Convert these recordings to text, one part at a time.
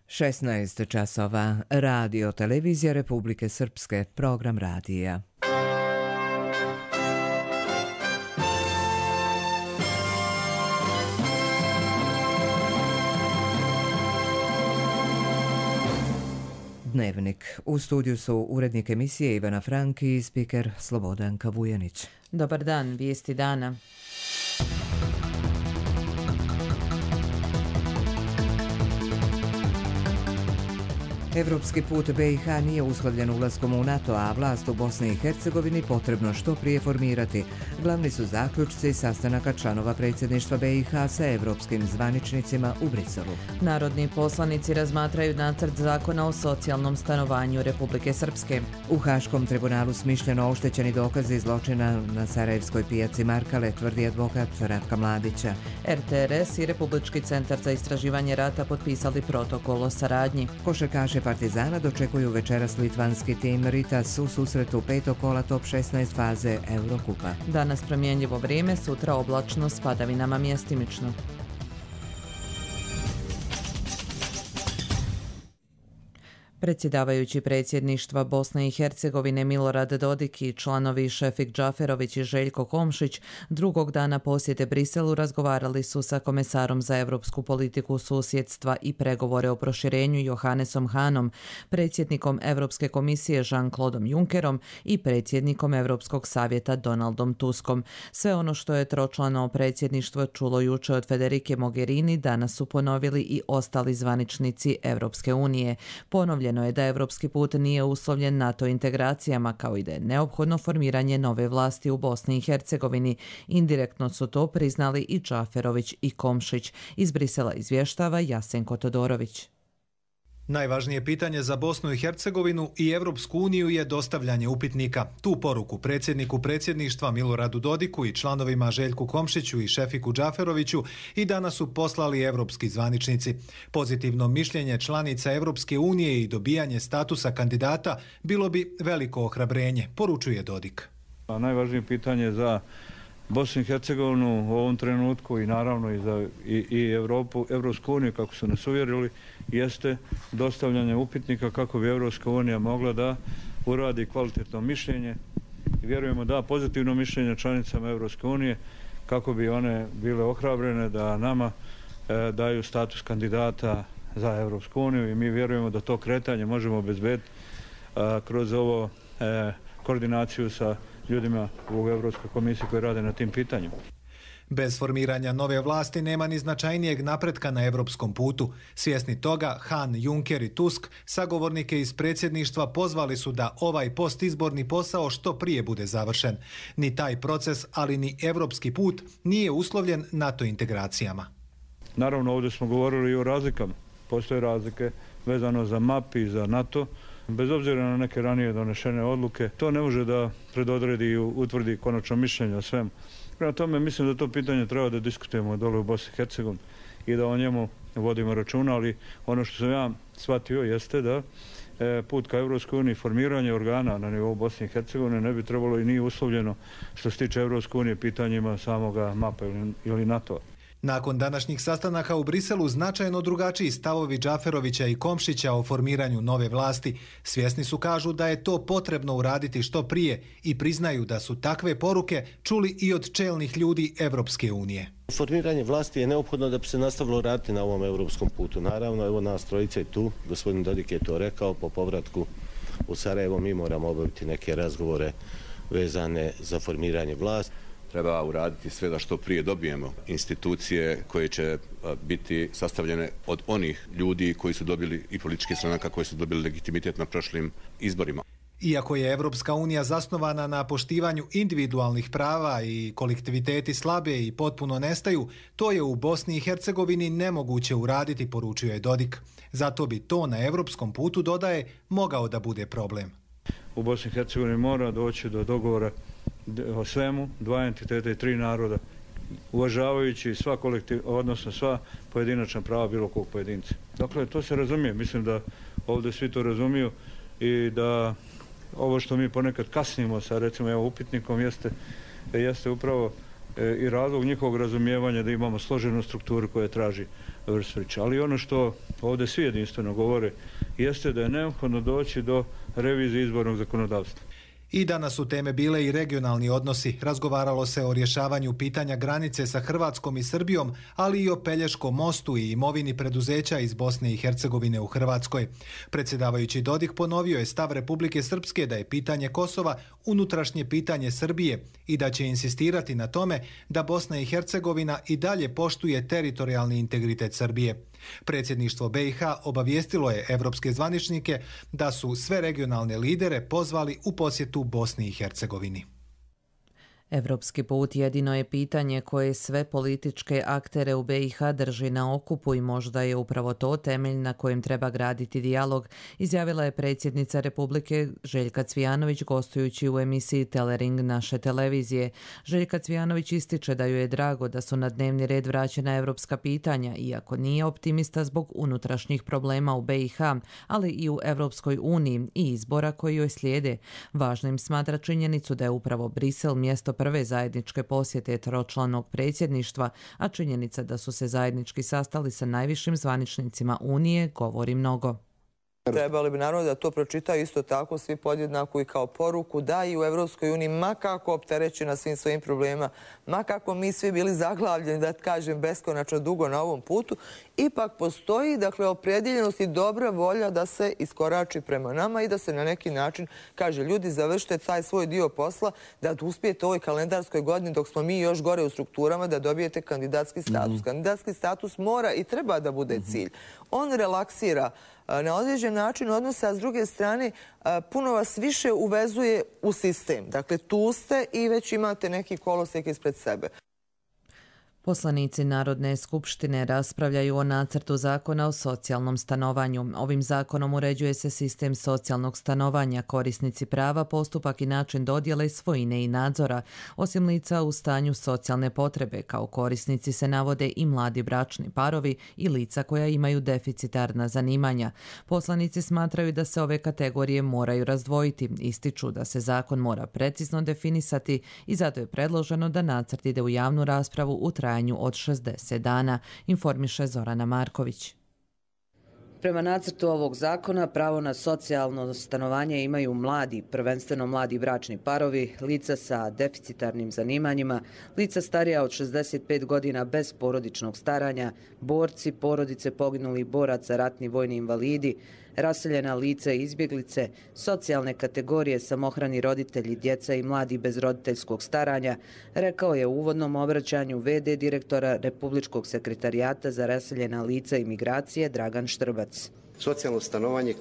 16 časova. Radio Televizija Republike Srpske. Program radija. Dnevnik. U studiju su urednik emisije Ivana Franki i spiker Slobodanka Vujanić. Dobar dan, vijesti dana. Evropski put BiH nije uslovljen ulaskom u NATO, a vlast u Bosni i Hercegovini potrebno što prije formirati. Glavni su zaključci sastanaka članova predsjedništva BiH sa evropskim zvaničnicima u Briselu. Narodni poslanici razmatraju nacrt zakona o socijalnom stanovanju Republike Srpske. U Haškom tribunalu smišljeno oštećeni dokazi zločina na Sarajevskoj pijaci Markale, tvrdi advokat Ratka Mladića. RTRS i Republički centar za istraživanje rata potpisali protokol o saradnji. Košarkaše Partizana dočekuju večeras litvanski tim Ritas u susretu petog kola top 16 faze Eurokupa. Danas promjenjivo vrijeme, sutra oblačno s padavinama mjestimično. Predsjedavajući predsjedništva Bosne i Hercegovine Milorad Dodik i članovi Šefik Džaferović i Željko Komšić drugog dana posjete Briselu razgovarali su sa komesarom za europsku politiku susjedstva i pregovore o proširenju Johannesom Hanom, predsjednikom Europske komisije Jean-Claudom Junckerom i predsjednikom Europskog savjeta Donaldom Tuskom. Sve ono što je tročlano predsjedništvo čulo jučer od Federike Mogherini danas su ponovili i ostali zvaničnici Europske unije. Ponovljeno je da evropski put nije uslovljen NATO integracijama, kao i da je neophodno formiranje nove vlasti u Bosni i Hercegovini. Indirektno su to priznali i Džaferović i Komšić. Iz Brisela izvještava Jasenko Todorović. Najvažnije pitanje za Bosnu i Hercegovinu i Evropsku uniju je dostavljanje upitnika. Tu poruku predsjedniku predsjedništva Miloradu Dodiku i članovima Željku Komšiću i Šefiku Džaferoviću i danas su poslali evropski zvaničnici. Pozitivno mišljenje članica Evropske unije i dobijanje statusa kandidata bilo bi veliko ohrabrenje, poručuje Dodik. Najvažnije pitanje za Bosnu i Hercegovinu u ovom trenutku i naravno i za Evropsku uniju, kako su nas uvjerili, jeste dostavljanje upitnika kako bi Evropska unija mogla da uradi kvalitetno mišljenje i vjerujemo da pozitivno mišljenje članicama Evropske unije kako bi one bile ohrabrene da nama daju status kandidata za Evropsku uniju i mi vjerujemo da to kretanje možemo obezbediti kroz ovo koordinaciju sa ljudima u Evropskoj komisiji koji rade na tim pitanjima. Bez formiranja nove vlasti nema ni značajnijeg napretka na evropskom putu. Svjesni toga, Han, Juncker i Tusk sagovornike iz predsjedništva pozvali su da ovaj postizborni posao što prije bude završen. Ni taj proces, ali ni evropski put nije uslovljen NATO integracijama. Naravno, ovdje smo govorili i o razlikama. Postoje razlike vezano za MAP i za NATO. Bez obzira na neke ranije donešene odluke, to ne može da predodredi i utvrdi konačno mišljenje o svemu. Prema tome, mislim da to pitanje treba da diskutujemo dole u Bosni i Hercegovini i da o njemu vodimo računa, ali ono što sam ja shvatio jeste da put ka Evropskoj uniji, formiranje organa na nivou Bosne i Hercegovine ne bi trebalo i nije uslovljeno što se tiče Evropske unije pitanjima samoga MAP-a ili NATO-a. Nakon današnjih sastanaka u Briselu značajno drugačiji stavovi Džaferovića i Komšića o formiranju nove vlasti. Svjesni su, kažu, da je to potrebno uraditi što prije i priznaju da su takve poruke čuli i od čelnih ljudi Evropske unije. Formiranje vlasti je neophodno da bi se nastavilo raditi na ovom evropskom putu. Naravno, evo nas trojica je tu, gospodin Dodik je to rekao, po povratku u Sarajevo mi moramo obaviti neke razgovore vezane za formiranje vlasti. Treba uraditi sve da što prije dobijemo institucije koje će biti sastavljene od onih ljudi koji su dobili i političkih stranaka koji su dobili legitimitet na prošlim izborima. Iako je Evropska unija zasnovana na poštivanju individualnih prava i kolektiviteti slabe i potpuno nestaju, to je u Bosni i Hercegovini nemoguće uraditi, poručuje Dodik. Zato bi to na evropskom putu, dodaje, mogao da bude problem. U Bosni i Hercegovini mora doći do dogovora o svemu, dva entiteta i tri naroda, uvažavajući sva odnosno sva pojedinačna prava bilo kog pojedinca. Dakle, to se razumije. Mislim da ovdje svi to razumiju i da ovo što mi ponekad kasnimo sa, recimo, upitnikom jeste upravo i razlog njihovog razumijevanja da imamo složenu strukturu koja traži vrstvića. Ali ono što ovdje svi jedinstveno govore jeste da je neophodno doći do revizije izbornog zakonodavstva. I danas su teme bile i regionalni odnosi. Razgovaralo se o rješavanju pitanja granice sa Hrvatskom i Srbijom, ali i o Pelješkom mostu i imovini preduzeća iz Bosne i Hercegovine u Hrvatskoj. Predsjedavajući Dodik ponovio je stav Republike Srpske da je pitanje Kosova unutrašnje pitanje Srbije i da će insistirati na tome da Bosna i Hercegovina i dalje poštuje teritorijalni integritet Srbije. Predsjedništvo BiH obavijestilo je evropske zvaničnike da su sve regionalne lidere pozvali u posjetu Bosni i Hercegovini. Evropski put jedino je pitanje koje sve političke aktere u BiH drži na okupu i možda je upravo to temelj na kojem treba graditi dijalog, izjavila je predsjednica Republike Željka Cvijanović gostujući u emisiji Telering naše televizije. Željka Cvijanović ističe da joj je drago da su na dnevni red vraćena evropska pitanja, iako nije optimista zbog unutrašnjih problema u BiH, ali i u Evropskoj uniji i izbora koji joj slijede. Važnim smatra činjenicu da je upravo Brisel mjesto prve zajedničke posjete tročlanog predsjedništva, a činjenica da su se zajednički sastali sa najvišim zvaničnicima Unije govori mnogo. Trebali bi naravno da to pročitaju isto tako svi podjednako i kao poruku da i u Evropskoj uniji, ma kako opterećena svim svojim problemima, ma kako mi svi bili zaglavljeni, da kažem, beskonačno dugo na ovom putu, ipak postoji, dakle, opredjeljenost i dobra volja da se iskorači prema nama i da se na neki način kaže ljudi završite taj svoj dio posla, da uspijete u ovoj kalendarskoj godini dok smo mi još gore u strukturama da dobijete kandidatski status. Kandidatski status mora i treba da bude cilj. On relaksira na određen način odnose, a s druge strane puno vas više uvezuje u sistem. Dakle, tu ste i već imate neki kolosijek ispred sebe. Poslanici Narodne skupštine raspravljaju o nacrtu zakona o socijalnom stanovanju. Ovim zakonom uređuje se sistem socijalnog stanovanja, korisnici prava, postupak i način dodjele svojine i nadzora. Osim lica u stanju socijalne potrebe, kao korisnici se navode i mladi bračni parovi i lica koja imaju deficitarna zanimanja. Poslanici smatraju da se ove kategorije moraju razdvojiti, ističu da se zakon mora precizno definisati i zato je predloženo da nacrt ide u javnu raspravu u trajanju od 60 dana, informiše Zorana Marković. Prema nacrtu ovog zakona, pravo na socijalno stanovanje imaju mladi, prvenstveno mladi bračni parovi, lica sa deficitarnim zanimanjima, lica starija od 65 godina bez porodičnog staranja, borci, porodice poginulih boraca, ratni vojni invalidi, raseljena lica i izbjeglice, socijalne kategorije, samohrani roditelji, djeca i mladi bez roditeljskog staranja, rekao je u uvodnom obraćanju v.d. direktora Republičkog sekretarijata za raseljena lica i migracije Dragan Štrbac. Socijalno stanovanje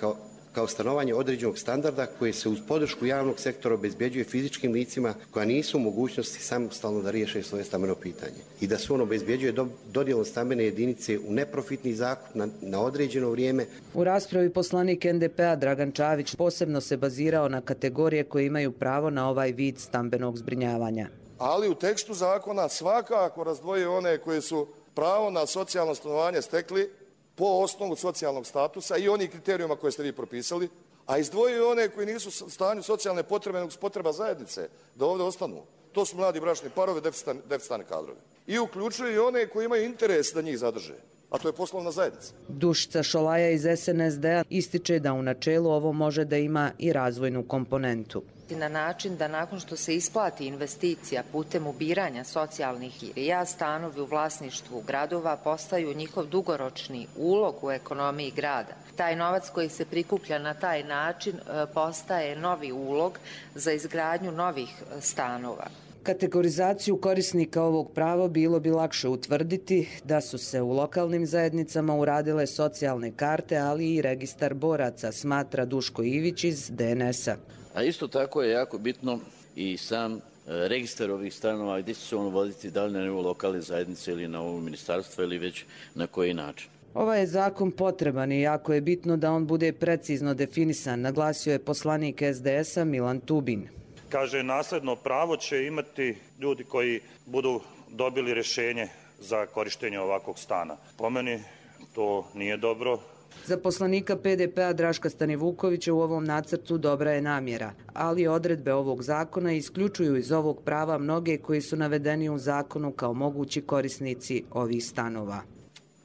kao stanovanje određenog standarda koje se uz podršku javnog sektora obezbjeđuje fizičkim licima koja nisu u mogućnosti samostalno da riješe svoje stambeno pitanje i da se on obezbjeđuje dodjelom stambene jedinice u neprofitni zakup na određeno vrijeme. U raspravi poslanik NDP-a Dragan Čavić posebno se bazirao na kategorije koje imaju pravo na ovaj vid stambenog zbrinjavanja. Ali u tekstu zakona svakako razdvojuje one koje su pravo na socijalno stanovanje stekli po osnovu socijalnog statusa i onih kriterijuma koje ste vi propisali, a izdvojio one koji nisu u stanju socijalne potrebe nego potreba zajednice da ovdje ostanu. To su mladi bračni parovi, deficitarni kadrovi. I uključuju i one koji imaju interes da njih zadrže, a to je poslovna zajednica. Dušica Šolaja iz SNSD-a ističe da u načelu ovo može da ima i razvojnu komponentu. Na način da nakon što se isplati investicija putem ubiranja socijalnih irija, stanovi u vlasništvu gradova postaju njihov dugoročni ulog u ekonomiji grada. Taj novac koji se prikuplja na taj način postaje novi ulog za izgradnju novih stanova. Kategorizaciju korisnika ovog prava bilo bi lakše utvrditi da su se u lokalnim zajednicama uradile socijalne karte, ali i registar boraca, smatra Duško Ivić iz DNS-a. A isto tako je jako bitno i sam registar ovih stanova gdje će se on voditi, da li na nivou lokalne zajednice ili na ovo ministarstvo ili već na koji način. Ovaj je zakon potreban i jako je bitno da on bude precizno definisan, naglasio je poslanik SDS-a Milan Tubin. Kaže, nasljedno pravo će imati ljudi koji budu dobili rješenje za korištenje ovakvog stana. Po meni to nije dobro, Za poslanika PDP-a Draška Stanivukovića u ovom nacrtu dobra je namjera, ali odredbe ovog zakona isključuju iz ovog prava mnoge koji su navedeni u zakonu kao mogući korisnici ovih stanova.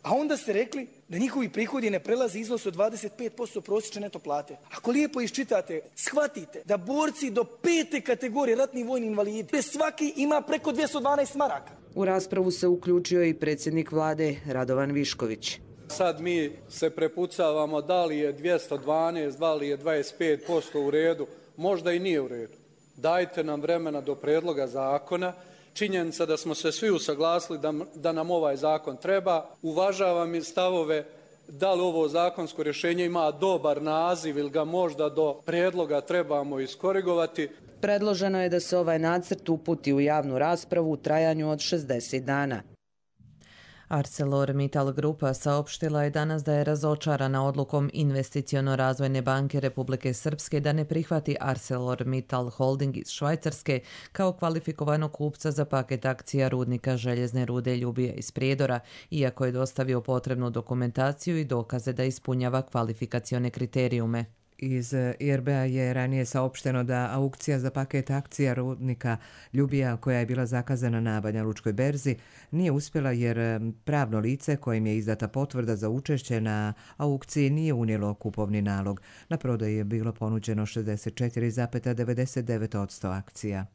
A onda ste rekli da njihovi prihodi ne prelaze iznos od 25% prosječne neto plate. Ako lijepo iščitate, shvatite da borci do 5. kategorije ratni vojni invalidi, svaki ima preko 212 maraka. U raspravu se uključio i predsjednik vlade Radovan Višković. Sad mi se prepucavamo da li je 212, da li je 25% u redu, možda i nije u redu. Dajte nam vremena do predloga zakona. Činjenica da smo se svi usaglasili da nam ovaj zakon treba. Uvažavam i stavove da li ovo zakonsko rješenje ima dobar naziv ili ga možda do predloga trebamo iskorigovati. Predloženo je da se ovaj nacrt uputi u javnu raspravu u trajanju od 60 dana. ArcelorMittal Grupa saopštila je danas da je razočarana odlukom Investiciono-razvojne banke Republike Srpske da ne prihvati ArcelorMittal Holding iz Švajcarske kao kvalifikovanog kupca za paket akcija rudnika željezne rude Ljubija iz Prijedora, iako je dostavio potrebnu dokumentaciju i dokaze da ispunjava kvalifikacione kriterijume. Iz IRB-a je ranije saopšteno da aukcija za paket akcija rudnika Ljubija, koja je bila zakazana na Banja Lučkoj berzi, nije uspjela jer pravno lice kojim je izdata potvrda za učešće na aukciji nije unijelo kupovni nalog. Na prodaju je bilo ponuđeno 64,99% akcija.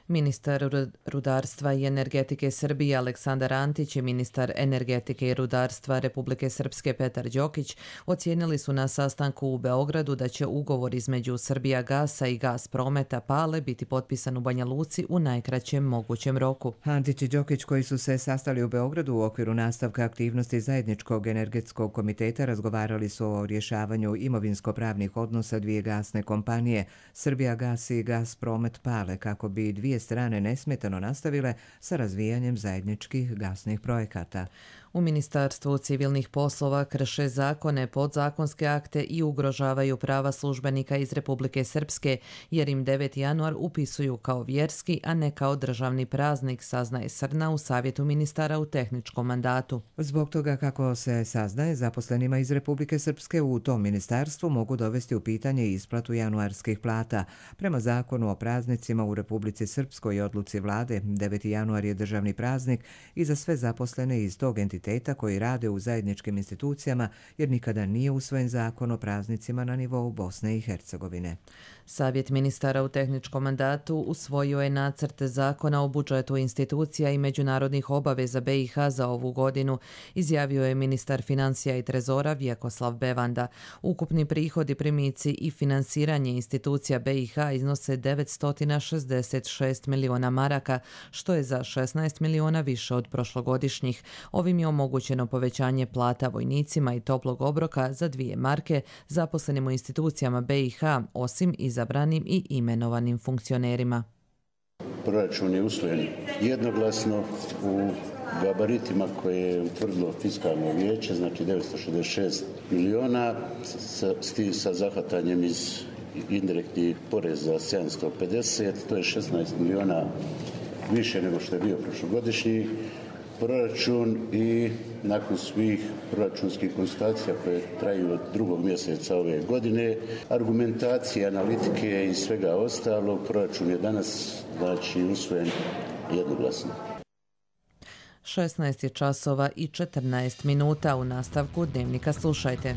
Ministar rudarstva i energetike Srbije Aleksandar Antić i ministar energetike i rudarstva Republike Srpske Petar Đokić ocijenili su na sastanku u Beogradu da će ugovor između Srbijagasa i Gasprometa Pale biti potpisan u Banja Luci u najkraćem mogućem roku. Antić i Đokić, koji su se sastali u Beogradu u okviru nastavka aktivnosti zajedničkog energetskog komiteta, razgovarali su o rješavanju imovinsko-pravnih odnosa dvije gasne kompanije, Srbijagas i Gaspromet Pale, kako bi dvije strane nesmetano nastavile sa razvijanjem zajedničkih gasnih projekata. U Ministarstvu civilnih poslova krše zakone, podzakonske akte i ugrožavaju prava službenika iz Republike Srpske, jer im 9. januar upisuju kao vjerski, a ne kao državni praznik, saznaje Srna u Savjetu ministara u tehničkom mandatu. Zbog toga, kako se saznaje, zaposlenima iz Republike Srpske u tom ministarstvu mogu dovesti u pitanje isplatu januarskih plata. Prema zakonu o praznicima u Republici Srpskoj i odluci vlade, 9. januar je državni praznik i za sve zaposlene iz tog entiteta koji rade u zajedničkim institucijama, jer nikada nije usvojen zakon o praznicima na nivou Bosne i Hercegovine. Savjet ministara u tehničkom mandatu usvojio je nacrt zakona o budžetu institucija i međunarodnih obaveza BiH za ovu godinu, izjavio je ministar financija i trezora Vjekoslav Bevanda. Ukupni prihodi, primici i finansiranje institucija BiH iznose 966 miliona maraka, što je za 16 miliona više od prošlogodišnjih. Ovim je omogućeno povećanje plata vojnicima i toplog obroka za 2 marke zaposlenim u institucijama BiH, osim izabranim i imenovanim funkcionerima. Proračun je usvojen jednoglasno u gabaritima koje je utvrdilo fiskalno vijeće, znači 966 miliona, sa zahvatanjem iz indirektnih poreza 750, to je 16 miliona više nego što je bio prošlogodišnji proračun i nakon svih proračunskih konstatacija koje traju od 2. mjeseca ove godine, argumentacije, analitike i svega ostalog, proračun je danas usvojen jednoglasno. 16 časova i 14 minuta. U nastavku Dnevnika slušajte.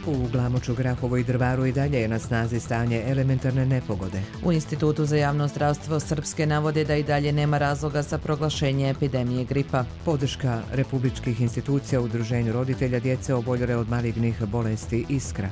U Glamoču, Grahovu i Drvaru i dalje je na snazi stanje elementarne nepogode. U Institutu za javno zdravstvo Srpske navode da i dalje nema razloga za proglašenje epidemije gripa. Podrška republičkih institucija u udruženju roditelja djece oboljele od malignih bolesti Iskra.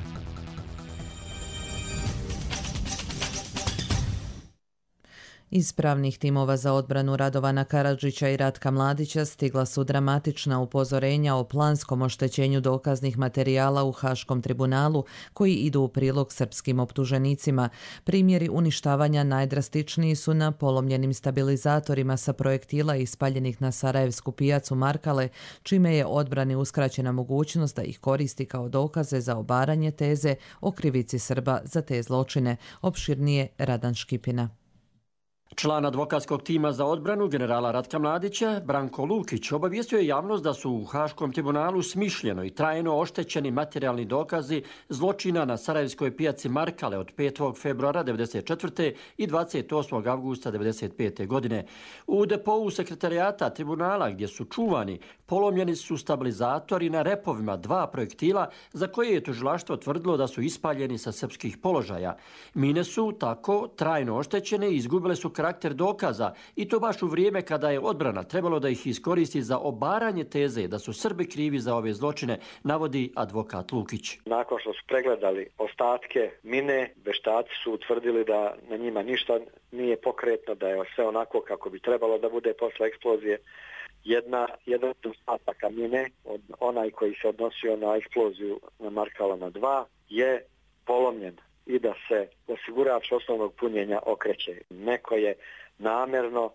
Iz pravnih timova za odbranu Radovana Karadžića i Ratka Mladića stigla su dramatična upozorenja o planskom oštećenju dokaznih materijala u Haškom tribunalu koji idu u prilog srpskim optuženicima. Primjeri uništavanja najdrastičniji su na polomljenim stabilizatorima sa projektila ispaljenih na Sarajevsku pijacu Markale, čime je odbrani uskraćena mogućnost da ih koristi kao dokaze za obaranje teze o krivici Srba za te zločine. Opširnije Radan Škipina. Član advokatskog tima za odbranu generala Ratka Mladića, Branko Lukić, obavijestio je javnost da su u Haškom tribunalu smišljeno i trajno oštećeni materijalni dokazi zločina na sarajevskoj pijaci Markale od 5. februara 1994. i 28. avgusta 1995. godine. U depou sekretarijata tribunala gdje su čuvani, polomljeni su stabilizatori na repovima 2 projektila za koje je tužilaštvo tvrdilo da su ispaljeni sa srpskih položaja. Mine su tako trajno oštećene i izgubile su karakter dokaza i to baš u vrijeme kada je odbrana trebalo da ih iskoristi za obaranje teze da su Srbi krivi za ove zločine, navodi advokat Lukić. Nakon što su pregledali ostatke mine, veštaci su utvrdili da na njima ništa nije pokretno, da je sve onako kako bi trebalo da bude posle eksplozije. Jedan ostatak mine, onaj koji se odnosio na eksploziju na Markalama 2, je polomljen i da se osigurač osnovnog punjenja okreće. Neko je namjerno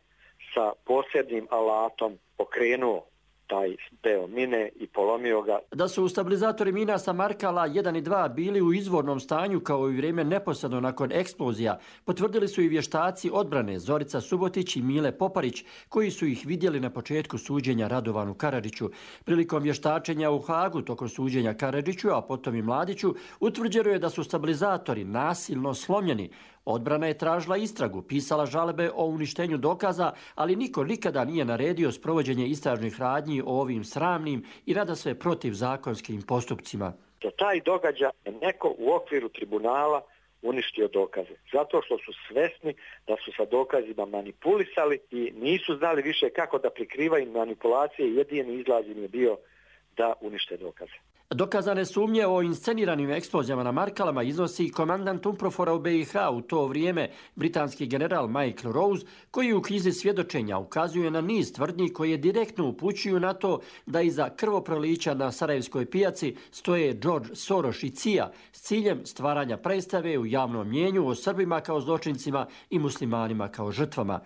sa posebnim alatom pokrenuo taj deo mine i polomio ga. Da su stabilizatori mina sa Markala 1 i 2 bili u izvornom stanju kao i vrijeme neposredno nakon eksplozija, potvrdili su i vještaci odbrane Zorica Subotić i Mile Poparić, koji su ih vidjeli na početku suđenja Radovanu Karadžiću. Prilikom vještačenja u Hagu tokom suđenja Karadžiću, a potom i Mladiću, utvrđeno je da su stabilizatori nasilno slomljeni. Odbrana je tražila istragu, pisala žalbe o uništenju dokaza, ali niko nikada nije naredio sprovođenje istražnih radnji o ovim sramnim i nadasve protivzakonskim postupcima. Za taj događaj je neko u okviru tribunala uništio dokaze. Zato što su svesni da su sa dokazima manipulisali i nisu znali više kako da prikrivaju manipulacije. Jedini izlaz im je bio da unište dokaze. Dokazane sumnje o insceniranim eksplozijama na Markalama iznosi komandant UNPROFOR-a u BiH u to vrijeme, britanski general Michael Rose, koji u knjizi svjedočenja ukazuje na niz tvrdnji koje direktno upućuju na to da iza krvoprolića na sarajevskoj pijaci stoje George Soros i CIA s ciljem stvaranja predstave u javnom mnijenju o Srbima kao zločincima i muslimanima kao žrtvama.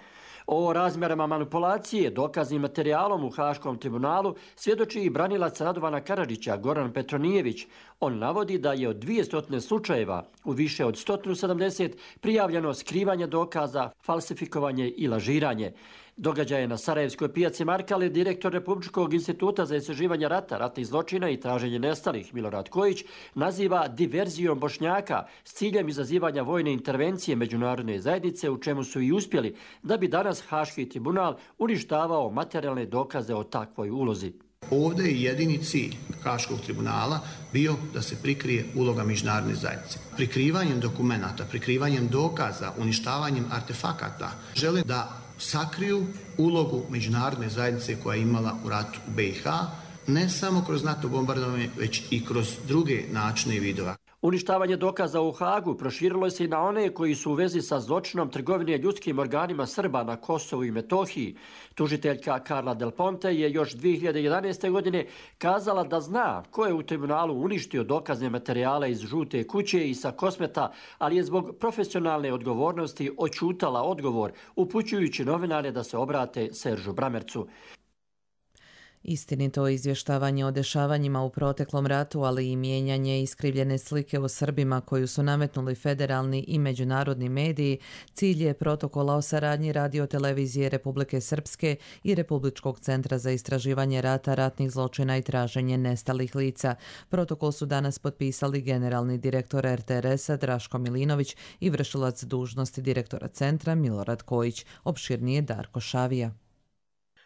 O razmjerama manipulacije dokaznim materijalom u Haškom tribunalu svjedoči i branilac Radovana Karadžića Goran Petronijević. On navodi da je od 200 slučajeva u više od 170 prijavljeno skrivanje dokaza, falsifikovanje i lažiranje. Događaje na sarajevskoj pijaci Markale direktor Republičkog instituta za istraživanje rata, ratnih zločina i traženje nestalih Milorad Kojić naziva diverzijom Bošnjaka s ciljem izazivanja vojne intervencije međunarodne zajednice, u čemu su i uspjeli, da bi danas Haški tribunal uništavao materijalne dokaze o takvoj ulozi. Ovdje je jedini cilj Haškog tribunala bio da se prikrije uloga međunarodne zajednice. Prikrivanjem dokumenata, prikrivanjem dokaza, uništavanjem artefakata žele da sakriju ulogu međunarodne zajednice koja je imala u ratu u BiH, ne samo kroz NATO bombardovanje, već i kroz druge načine i vidova. Uništavanje dokaza u Hagu proširilo se i na one koji su u vezi sa zločinom trgovine ljudskim organima Srba na Kosovu i Metohiji. Tužiteljka Carla Del Ponte je još 2011. godine kazala da zna ko je u tribunalu uništio dokazne materijale iz Žute kuće i sa Kosmeta, ali je zbog profesionalne odgovornosti oćutala odgovor, upućujući novinare da se obrate Seržu Bramercu. Istinito izvještavanje o dešavanjima u proteklom ratu, ali i mijenjanje iskrivljene slike o Srbima koju su nametnuli federalni i međunarodni mediji, cilj je protokola o saradnji Radio-televizije Republike Srpske i Republičkog centra za istraživanje rata, ratnih zločina i traženje nestalih lica. Protokol su danas potpisali generalni direktor RTRS-a Draško Milinović i vršilac dužnosti direktora centra Milorad Kojić. Opširnije Darko Šavija.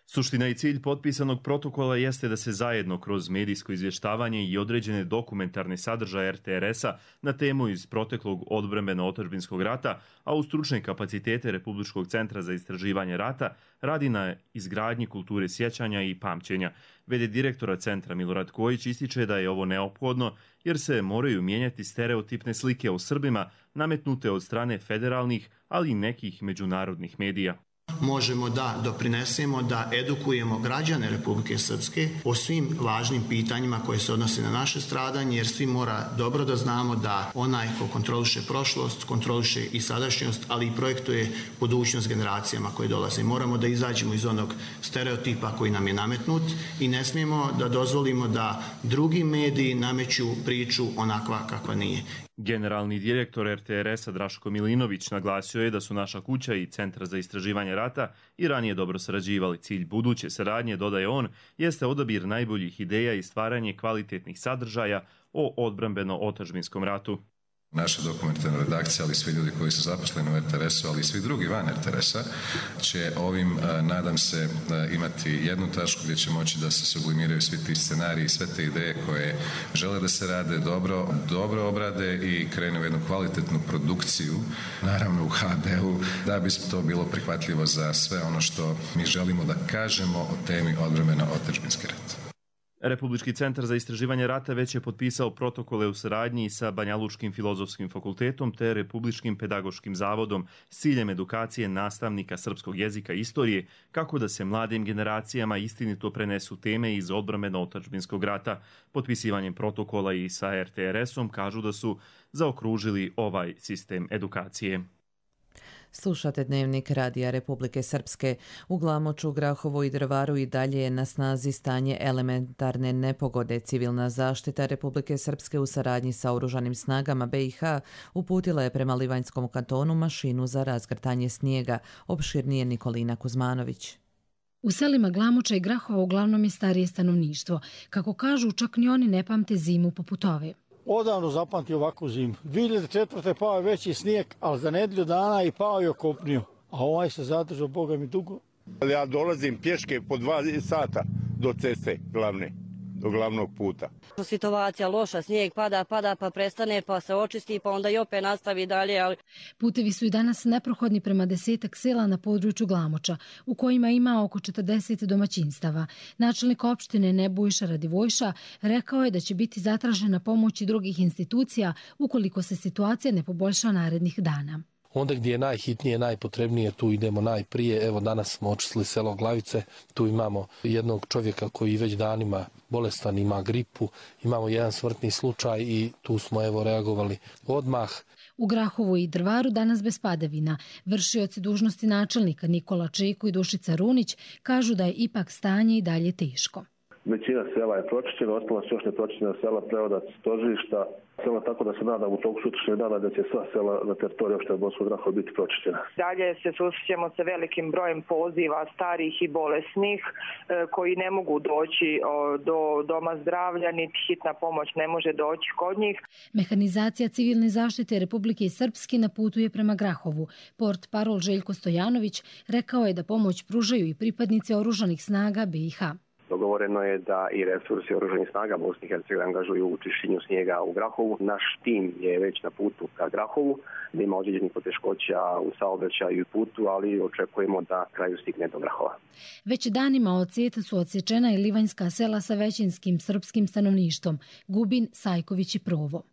Suština i cilj potpisanog protokola jeste da se zajedno kroz medijsko izvještavanje i određene dokumentarne sadržaje RTRS-a na temu iz proteklog odbrambeno-otadžbinskog rata, a u stručne kapacitete Republičkog centra za istraživanje rata, radi na izgradnji kulture sjećanja i pamćenja. V.d. direktora centra Milorad Kojić ističe da je ovo neophodno jer se moraju mijenjati stereotipne slike o Srbima nametnute od strane federalnih, ali i nekih međunarodnih medija. Možemo da doprinesemo, da edukujemo građane Republike Srpske o svim važnim pitanjima koje se odnose na naše stradanje, jer svi mora dobro da znamo da onaj ko kontroliše prošlost, kontroliše i sadašnjost, ali i projektuje budućnost generacijama koje dolaze. Moramo da izađemo iz onog stereotipa koji nam je nametnut i ne smijemo da dozvolimo da drugi mediji nameću priču onakva kakva nije. Generalni direktor RTRS-a Draško Milinović naglasio je da su Naša kuća i Centar za istraživanje rata i ranije dobro sarađivali. Cilj buduće saradnje, dodaje on, jeste odabir najboljih ideja i stvaranje kvalitetnih sadržaja o odbrambeno-otadžbinskom ratu. Naša dokumentarna redakcija, ali svi ljudi koji su zaposleni u RTRS-u, ali i svi drugi van RTRS-a, će ovim, nadam se, imati jednu tačku gdje će moći da se sublimiraju svi ti scenariji i sve te ideje koje žele da se rade dobro obrade i krenu u jednu kvalitetnu produkciju, naravno u HD-u, da bi to bilo prihvatljivo za sve ono što mi želimo da kažemo o temi odbrambeno-otadžbinski rat. Republički centar za istraživanje rata već je potpisao protokole u saradnji sa Banjalučkim filozofskim fakultetom te Republičkim pedagoškim zavodom s ciljem edukacije nastavnika srpskog jezika i istorije kako da se mladim generacijama istinito prenesu teme iz odbrambeno-otadžbinskog rata. Potpisivanjem protokola i sa RTRS-om kažu da su zaokružili ovaj sistem edukacije. Slušate Dnevnik Radija Republike Srpske. U Glamoču, Grahovu i Drvaru i dalje je na snazi stanje elementarne nepogode. Civilna zaštita Republike Srpske u saradnji sa oružanim snagama BiH uputila je prema Livanjskom kantonu mašinu za razgrtanje snijega. Opširnije Nikolina Kuzmanović. U selima Glamoča i Grahova uglavnom je starije stanovništvo. Kako kažu, čak ni oni ne pamte zimu poput ove. Odavno zapamti ovakvu zimu. 2004. pao je veći snijeg, ali za nedelju dana i pao je okopnio. A ovaj se zadržao, Boga mi, dugo. Ja dolazim pješke po 2 sata do ceste glavne, do glavnog puta. Situacija loša, snijeg pada, pa prestane, pa se očisti, pa onda i opet nastavi dalje. Ali... Putevi su i danas neprohodni prema 10 sela na području Glamoča, u kojima ima oko 40 domaćinstava. Načelnik opštine Nebojša Radivojša rekao je da će biti zatražena pomoć i drugih institucija ukoliko se situacija ne poboljša narednih dana. Onda gdje je najhitnije, najpotrebnije, tu idemo najprije. Evo danas smo očistili selo Glavice, tu imamo jednog čovjeka koji već danima bolestan, ima gripu, imamo jedan smrtni slučaj i tu smo reagovali odmah. U Grahovu i Drvaru danas bez padavina. Vršioci dužnosti načelnika Nikola Čeko i Dušica Runić kažu da je ipak stanje i dalje teško. Većina sela je pročišćena, ostala su još nepročišćena sela, Preodac, Stožišta, sela, tako da se nadam u toku sutrašnjeg dana da će sva sela na teritoriji opštine Bosanskog Grahova biti pročišćena. Dalje se susrećemo sa velikim brojem poziva starih i bolesnih koji ne mogu doći do doma zdravlja, niti hitna pomoć ne može doći kod njih. Mehanizacija civilne zaštite Republike Srpske na putu je prema Grahovu. Portparol Željko Stojanović rekao je da pomoć pružaju i pripadnici oružanih snaga BiH. Dogovoreno je da i resursi oružanih snaga Bosne i Hercegovine angažuju u čišćenju snijega u Grahovu. Naš tim je već na putu ka Grahovu, da ima određenih poteškoća u saobraćaju i putu, ali očekujemo da kraju stigne do Grahova. Već danima od sjeta su odsječena i livanjska sela sa većinskim srpskim stanovništvom, Gubin, Sajković i Provo.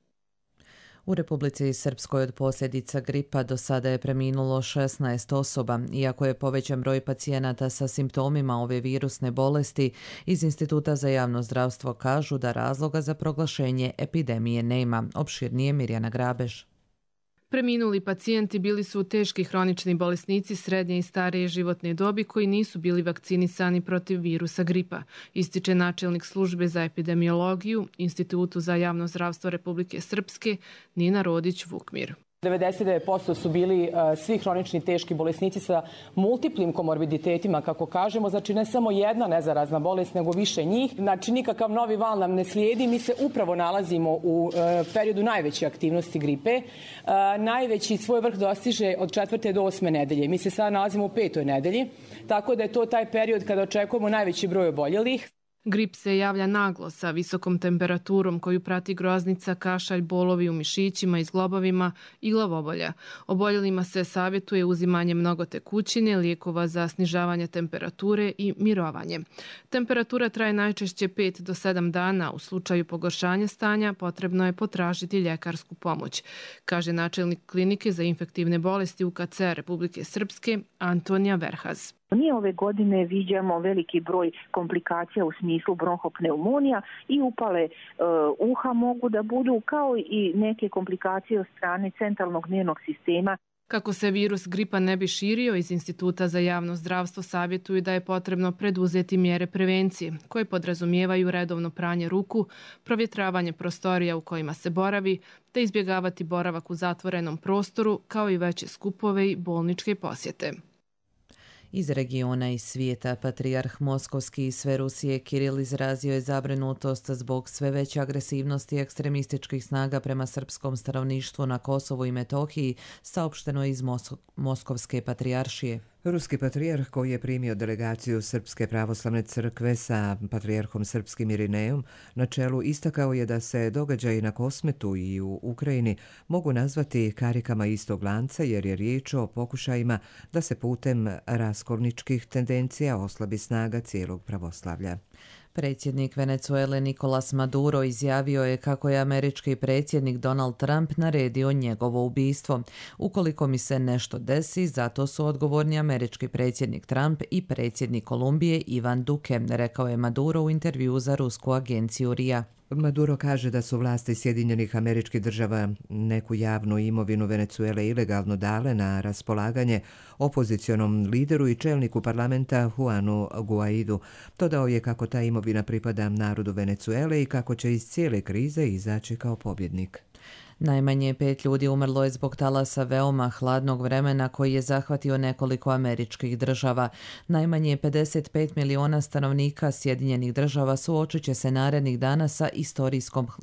U Republici Srpskoj od posljedica gripa do sada je preminulo 16 osoba. Iako je povećan broj pacijenata sa simptomima ove virusne bolesti, iz Instituta za javno zdravstvo kažu da razloga za proglašenje epidemije nema. Opširnije Mirjana Grabež. Preminuli pacijenti bili su teški hronični bolesnici srednje i starije životne dobi koji nisu bili vakcinisani protiv virusa gripa, ističe načelnik službe za epidemiologiju Institutu za javno zdravstvo Republike Srpske Nina Rodić-Vukmir. 99% su bili svi hronični teški bolesnici sa multiplim komorbiditetima, kako kažemo. Znači ne samo jedna nezarazna bolest, nego više njih. Znači nikakav novi val nam ne slijedi. Mi se upravo nalazimo u periodu najveće aktivnosti gripe. Najveći svoj vrh dostiže od 4. do 8. nedelje. Mi se sada nalazimo u 5. nedelji, tako da je to taj period kada očekujemo najveći broj oboljelih. Grip se javlja naglo sa visokom temperaturom koju prati groznica, kašalj, bolovi u mišićima i zglobovima i glavobolja. Oboljelima se savjetuje uzimanje mnogo tekućine, lijekova za snižavanje temperature i mirovanje. Temperatura traje najčešće 5 do 7 dana. U slučaju pogoršanja stanja potrebno je potražiti ljekarsku pomoć, kaže načelnik klinike za infektivne bolesti UKC Republike Srpske Antonija Verhaz. Mi ove godine viđamo veliki broj komplikacija u smislu bronhopneumonija i upale uha mogu da budu, kao i neke komplikacije od strane centralnog nervnog sistema. Kako se virus gripa ne bi širio, iz Instituta za javno zdravstvo savjetuju da je potrebno preduzeti mjere prevencije, koje podrazumijevaju redovno pranje ruku, provjetravanje prostorija u kojima se boravi, te izbjegavati boravak u zatvorenom prostoru, kao i veće skupove i bolničke posjete. Iz regiona i svijeta, patrijarh Moskovski i sve Rusije Kiril izrazio je zabrinutost zbog sve veće agresivnosti ekstremističkih snaga prema srpskom stanovništvu na Kosovu i Metohiji, saopšteno iz Moskovske patrijaršije. Ruski patrijarh koji je primio delegaciju Srpske pravoslavne crkve sa patrijarhom srpskim Irinejom na čelu istakao je da se događaji na Kosmetu i u Ukrajini mogu nazvati karikama istog lanca jer je riječ o pokušajima da se putem raskolničkih tendencija oslabi snaga cijelog pravoslavlja. Predsjednik Venezuele Nicolas Maduro izjavio je kako je američki predsjednik Donald Trump naredio njegovo ubistvo. Ukoliko mi se nešto desi, zato su odgovorni američki predsjednik Trump i predsjednik Kolumbije Ivan Duque, rekao je Maduro u intervjuu za rusku agenciju RIA. Maduro kaže da su vlasti Sjedinjenih Američkih Država neku javnu imovinu Venezuele ilegalno dale na raspolaganje opozicionom lideru i čelniku parlamenta Juanu Guaidu. Dodao je kako ta imovina pripada narodu Venezuele i kako će iz cijele krize izaći kao pobjednik. Najmanje 5 ljudi umrlo je zbog talasa veoma hladnog vremena koji je zahvatio nekoliko američkih država. Najmanje 55 miliona stanovnika Sjedinjenih Država suočit će se narednih dana sa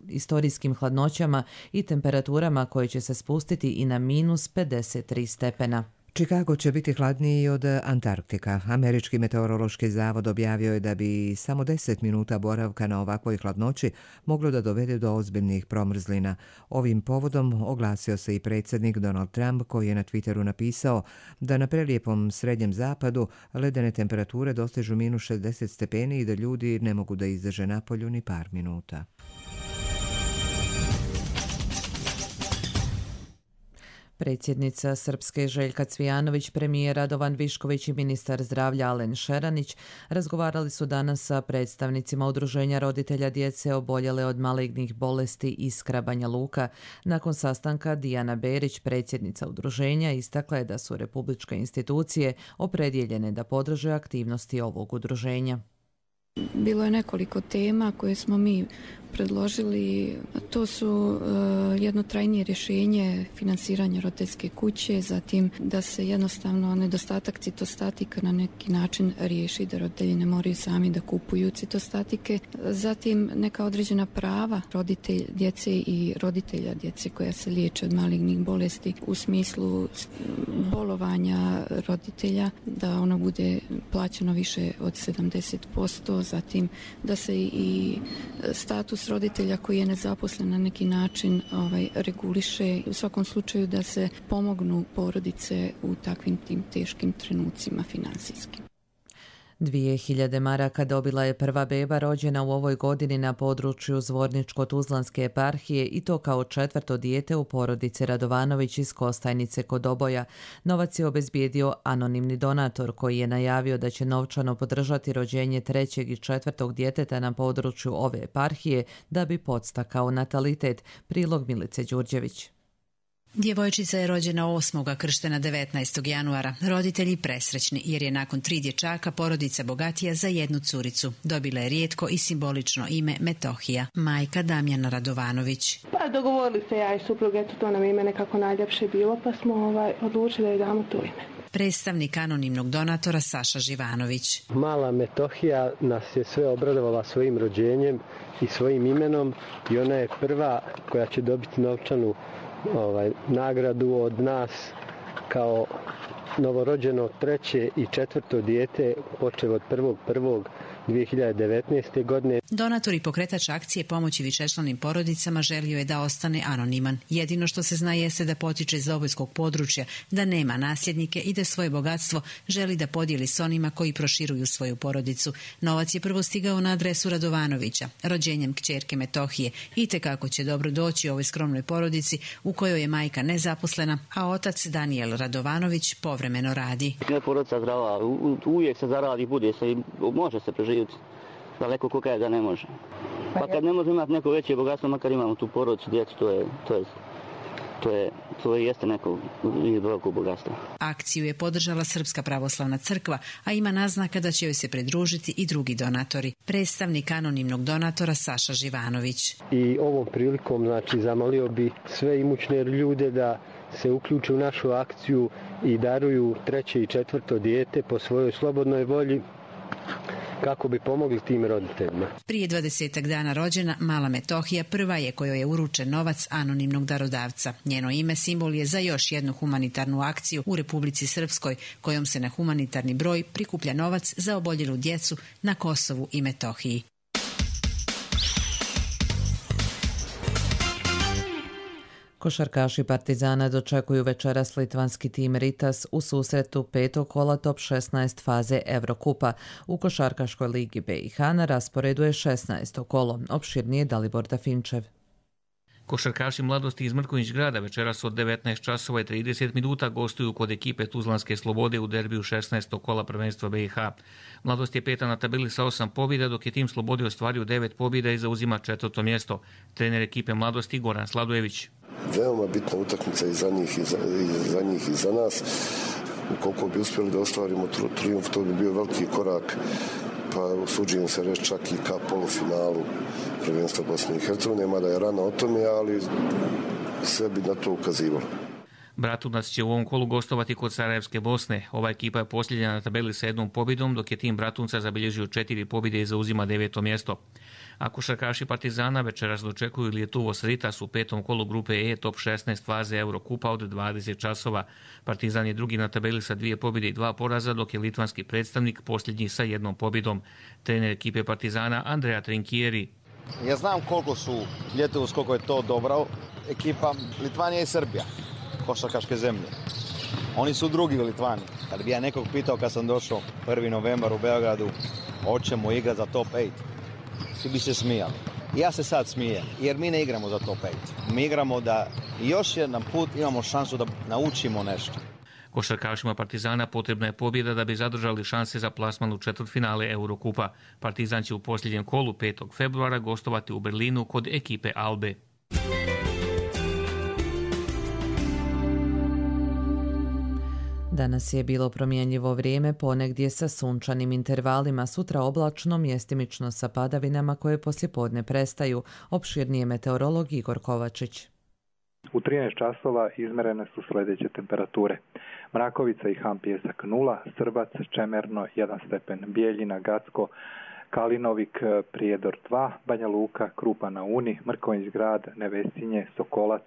istorijskim hladnoćama i temperaturama koje će se spustiti i na minus 53 stepena. Chicago će biti hladniji od Antarktika. Američki meteorološki zavod objavio je da bi samo 10 minuta boravka na ovakvoj hladnoći moglo da dovede do ozbiljnih promrzlina. Ovim povodom oglasio se i predsjednik Donald Trump koji je na Twitteru napisao da na prelijepom srednjem zapadu ledene temperature dostižu minus 60 stepeni i da ljudi ne mogu da izdrže napolju ni par minuta. Predsjednica Srpske Željka Cvijanović, premijer Radovan Višković i ministar zdravlja Alen Šeranić razgovarali su danas sa predstavnicima Udruženja roditelja djece oboljele od malignih bolesti Iskra Banja Luka. Nakon sastanka Dijana Berić, predsjednica udruženja, istakla je da su republičke institucije opredjeljene da podrže aktivnosti ovog udruženja. Bilo je nekoliko tema koje smo mi predložili. To su jedno trajnije rješenje finansiranja roditeljske kuće, zatim da se jednostavno nedostatak citostatika na neki način riješi, da roditelji ne moraju sami da kupuju citostatike. Zatim neka određena prava djece i roditelja djece koja se liječe od malignih bolesti u smislu bolovanja roditelja, da ono bude plaćeno više od 70%, zatim da se i status roditelja koji je nezaposlen na neki način reguliše, u svakom slučaju da se pomognu porodice u takvim tim teškim trenucima finansijskim. 2000 maraka dobila je prva beba rođena u ovoj godini na području Zvorničko-Tuzlanske eparhije i to kao 4. dijete u porodici Radovanović iz Kostajnice kod Oboja. Novac je obezbijedio anonimni donator koji je najavio da će novčano podržati rođenje 3. i 4. djeteta na području ove eparhije da bi podstakao natalitet. Prilog Milice Đurđević. Djevojčica je rođena 8. krštena 19. januara. Roditelji presrećni jer je nakon 3 dječaka porodica bogatija za jednu curicu. Dobila je rijetko i simbolično ime Metohija, majka Damjana Radovanović. Pa dogovorili se ja i suprug, eto to nam ime nekako najljepše bilo, pa smo odlučili da joj damo to ime. Predstavnik anonimnog donatora Saša Živanović. Mala Metohija nas je sve obradovala svojim rođenjem i svojim imenom i ona je prva koja će dobiti novčanu nagradu od nas kao novorođeno 3. i 4. dijete počev od 1.1.2019. godine. Donator i pokretač akcije pomoći višečlanim porodicama želio je da ostane anoniman. Jedino što se zna jeste da potiče iz obojskog područja, da nema nasljednike i da svoje bogatstvo želi da podijeli s onima koji proširuju svoju porodicu. Novac je prvo stigao na adresu Radovanovića, rođenjem kćerke Metohije, i tekako će dobro doći ovoj skromnoj porodici u kojoj je majka nezaposlena, a otac Danijel Radovanović povremeno radi. Porodica zdrava, uvijek se zaradi, bude se i može se preživjeti. Daleko ko kaže da ne može. Pa kad ne može imati neko veće bogatstvo, makar imamo tu porodicu, djecu, to je To jeste neko veliko bogatstvo. Akciju je podržala Srpska pravoslavna crkva, a ima naznaka da će joj se pridružiti i drugi donatori. Predstavnik anonimnog donatora Saša Živanović. I ovom prilikom zamolio bi sve imućne ljude da se uključe u našu akciju i daruju 3. i 4. dijete po svojoj slobodnoj volji kako bi pomogli tim roditeljima. Prije 20 dana rođena mala Metohija prva je kojoj je uručen novac anonimnog darodavca. Njeno ime simbol je za još jednu humanitarnu akciju u Republici Srpskoj, kojom se na humanitarni broj prikuplja novac za oboljelu djecu na Kosovu i Metohiji. Košarkaši Partizana dočekuju večeras litvanski tim Ritas u susretu 5. kola top 16 faze Evrokupa. U Košarkaškoj ligi BiH na rasporedu je 16. kolo. Opširnije Dalibor Dafinčev. Košarkaši Mladosti iz Mrkonjić Grada večeras od 19 časova i 30 minuta gostuju kod ekipe Tuzlanske Slobode u derbiju 16. kola prvenstva BiH. Mladost je peta na tabeli sa 8 pobjeda, dok je tim Slobode ostvario 9 pobjeda i zauzima 4. mjesto. Trener ekipe Mladosti Goran Sladojević. Veoma bitna utakmica i za njih i za nas. Ukoliko bi uspjeli da ostvarimo trijumf, to bi bio veliki korak, pa usuđujem se reći čak i ka polufinalu prvenstva Bosne i Hercegovine, mada je rano o tome, ali sve bi na to ukazivalo. Bratunac će u ovom kolu gostovati kod Sarajevske Bosne. Ova ekipa je posljednja na tabeli sa 1 pobjedom, dok je tim Bratunca zabilježio 4 pobjede i zauzima 9. mjesto. A košarkaši Partizana večeras dočekuju Lietuvos Ritas u 5. kolu grupe E top 16 faze Eurokupa od 20 časova. Partizan je drugi na tabeli sa 2 pobjede i 2 poraza, dok je litvanski predstavnik posljednji sa 1 pobjedom. Trener ekipe Partizana Andrea Trinkieri. Ja znam koliko je to dobra ekipa. Litvanija i Srbija, košarkaške zemlje. Oni su drugi u Litvani. Kad bi ja nekog pitao kad sam došao 1. novembar u Beogradu, hoćemo igrati za top 8. Svi bi se smijali. Ja se sad smijem, jer mi ne igramo za top 5. Mi igramo da još jedan put imamo šansu da naučimo nešto. Košarkašima Partizana potrebna je pobjeda da bi zadržali šanse za plasman u četvrtfinale Eurokupa. Partizan će u posljednjem kolu 5. februara gostovati u Berlinu kod ekipe Albe. Danas je bilo promjenjivo vrijeme, ponegdje sa sunčanim intervalima, sutra oblačno, mjestimično sa padavinama koje poslijepodne prestaju. Opširnije meteorolog Igor Kovačić. U 13 časova izmerene su sljedeće temperature. Mrakovica i Han Pjesak 0, Srbac, Čemerno 1 stepen, Bijeljina, Gacko, Kalinovik, Prijedor 2, Banja Luka, Krupa na Uni, Mrkonjić Grad, Nevesinje, Sokolac,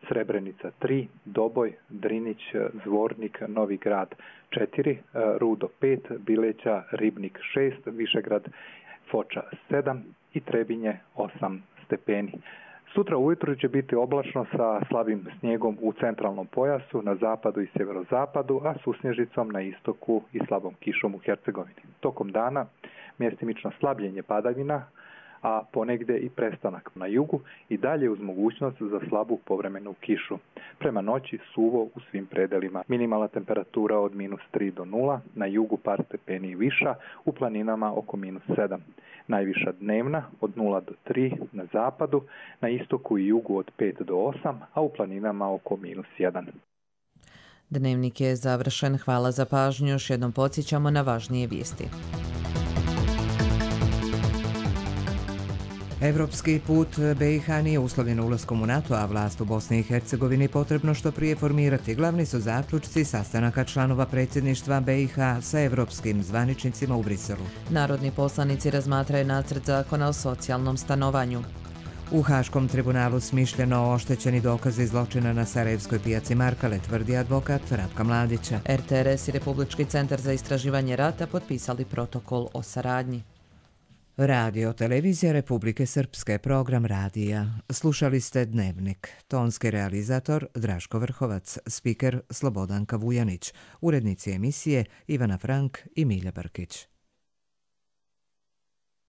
Srebrenica 3, Doboj, Drinić, Zvornik, Novi Grad 4, Rudo 5, Bileća, Ribnik 6, Višegrad, Foča 7 i Trebinje 8 stepeni. Sutra ujutro će biti oblačno sa slabim snijegom u centralnom pojasu, na zapadu i sjeverozapadu, a susnježicom na istoku i slabom kišom u Hercegovini. Tokom dana mjestimično slabljenje padavina, a ponegdje i prestanak na jugu i dalje uz mogućnost za slabu povremenu kišu. Prema noći suvo u svim predelima. Minimalna temperatura od -3 do 0, na jugu par stepeni viša, u planinama oko -7. Najviša dnevna od 0 do 3 na zapadu, na istoku i jugu od 5 do 8, a u planinama oko -1. Dnevnik je završen. Hvala za pažnju. Još jednom podsjećamo na važnije vijesti. Evropski put BiH nije uslovljen ulaskom u NATO, a vlast u Bosni i Hercegovini potrebno što prije formirati. Glavni su zaključci sastanaka članova predsjedništva BiH sa evropskim zvaničnicima u Briselu. Narodni poslanici razmatraju nacrt zakona o socijalnom stanovanju. U Haškom tribunalu smišljeno oštećeni dokazi zločina na Sarajevskoj pijaci Markale, tvrdi advokat Ratka Mladića. RTRS i Republički centar za istraživanje rata potpisali protokol o saradnji. Radio Televizija Republike Srpske, program radija. Slušali ste Dnevnik. Tonski realizator Draško Vrhovac, spiker Slobodanka Vujanić, urednici emisije Ivana Frank i Milja Brkić.